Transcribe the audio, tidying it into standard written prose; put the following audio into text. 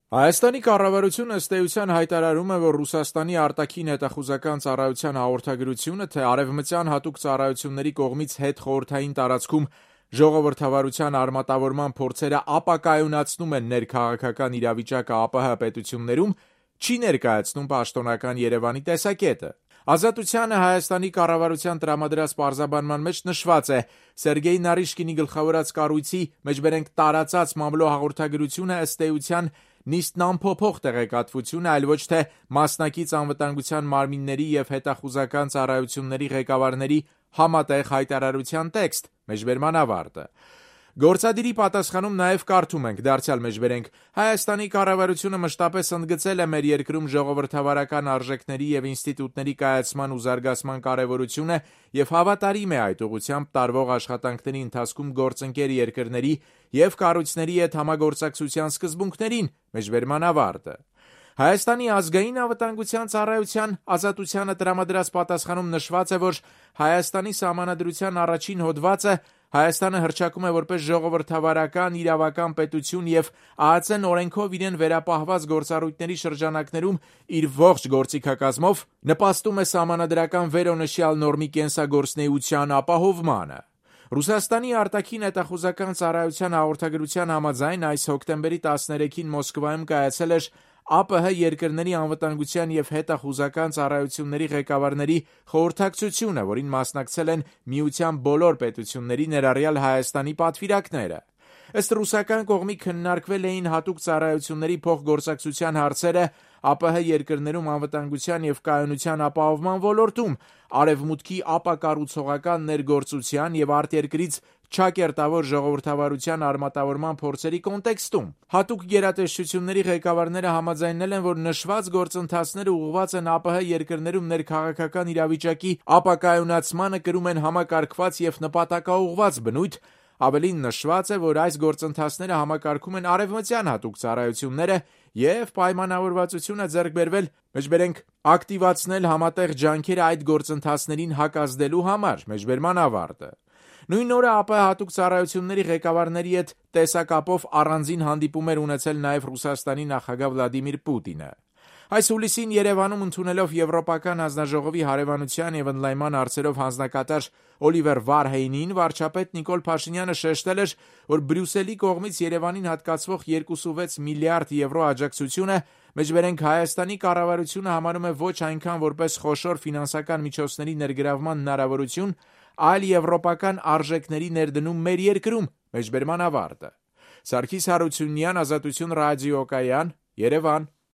Հայաստանի կառավարությունը ըստ էության հայտարարում է, որ Ռուսաստանի արտաքին հետախուզական ծառայության հաղորդագրությունը, թե արևմտյան հատուկ ծառայությունների կողմից հետխորհրդային տարածքում ժողովրդավարության արմատավորման փորձերը ապակայունացնում են ներքաղաքական իրավիճակը ԱՊՀ պետություններում, չի ներկայացնում պաշտոնական Երևանի տեսակետը։ Ազատությանը Հայաստանի կառավարության տրամադրած պարզաբանման մեջ նշված է. Սերգեյ Նարիշկինի գլխավորած կառույցի մեջբերենք տարածած մամլո հաղորդագրությունը ըստ էության նիստն անփոփոխ տեղեկատվություն է, այլ ոչ թե մասնակից անվտանգության մարմինների եւ հետախուզական ծառայությունների ղեկավարների համատեղ հայտարարության տեքստ, մեջբերման ավարտը։ Գործադիրի պատասխանում նաև կարդում ենք, դարձյալ մեջբերենք. Հայաստանի կառավարությունը մշտապես ընդգծել է մեր երկրում ժողովրդավարական արժեքների եւ ինստիտուտների կայացման ու զարգացման կարեւորությունը եւ հավատարիմ է այդ ուղղությամբ տարվող աշխատանքների ընթացքում գործընկեր երկրների եւ կառույցների հետ համագործակցության սկզբունքներին, մեջբերման ավարտը։ Հայաստանի ազգային անվտանգության ծառայության ազատությանը տրամադրած պատասխանում նշված է, որ Հայաստանի սահմանադրության առաջին հոդվածը Հայաստանը հռչակում է որպես ժողովրդավարական իրավական պետություն եւ ԱԱԾ-ն օրենքով իրեն վերապահված գործառույթների շրջանակներում իր ողջ գործիքակազմով նպաստում է սահմանադրական վերոնշյալ նորմի կենսագործունեության ապահովմանը։ Ռուսաստանի արտաքին հետախուզական ծառայության հաղորդագրության համաձայն այս հոկտեմբերի 13-ին Մոսկվայում կայացել էր ԱՊՀ երկրների անվտանգության եւ հետախուզական ծառայությունների ղեկավարների խորհրդակցությունը, որին մասնակցել են միության բոլոր պետությունների, ներառյալ Հայաստանի պատվիրակները։ Ըստ ռուսական կողմի քննարկվել էին հատուկ ծառայությունների փոխգործակցության հարցերը ԱՊՀ երկրներում անվտանգության եւ կայունության ապահովման ոլորտում, արևմուտքի ապակառուցողական ներգործության եւ արտերկրից չակերտավոր ժողովրդավարության արմատավորման փորձերի կոնտեքստում։ Հատուկ գերատեսչությունների ղեկավարները համաձայնել են, որ նշված գործընթացները ուղղված են ԱՊՀ երկրներում ներքաղաքական իրավիճակի ապակայունացմանը, կրում են համակարգված եւ նպատակաուղղված բնույթ։ Ավելին նշված է, որ այս գործընթացները համակարգում են արևմտյան հատուկ ծառայությունները եւ պայմանավորվածություն է ձեռք բերվել, մեջբերենք ակտիվացնել համատեղ ջանքերը այդ գործընթացներին հակազդելու համար, մեջբերման ավարտը։ Նույն օրը ԱՊՀ հատուկ ծառայությունների ղեկավարների հետ տեսակապով առանձին հանդիպում էր ունեցել նաև Ռուսաստանի նախագահ Վլադիմիր Պուտինը։ Այս հուլիսին Երևանում ընդունելով Եվրոպական հանձնաժողովի հարևանության եւ ընդլայնման հարցերով հանձնակատար Օլիվեր Վարհեյնին, վարչապետ Նիկոլ Փաշինյանը շեշտել էր, որ Բրյուսելի կողմից Երևանին հատկացվող 2.6 միլիարդ եվրո աջակցությունը, մեջբերենք Հայաստանի կառավարությունը համարում է ոչ այնքան որպես խոշոր ֆինանսական միջոցների ներգրավման հնարավորություն, այլ եվրոպական արժեքների ներդնում մեր երկրում, մեջբերման ավարտը։ Սարգիս Հարությունյան, Ազատություն ռադիոկայան, Երևան։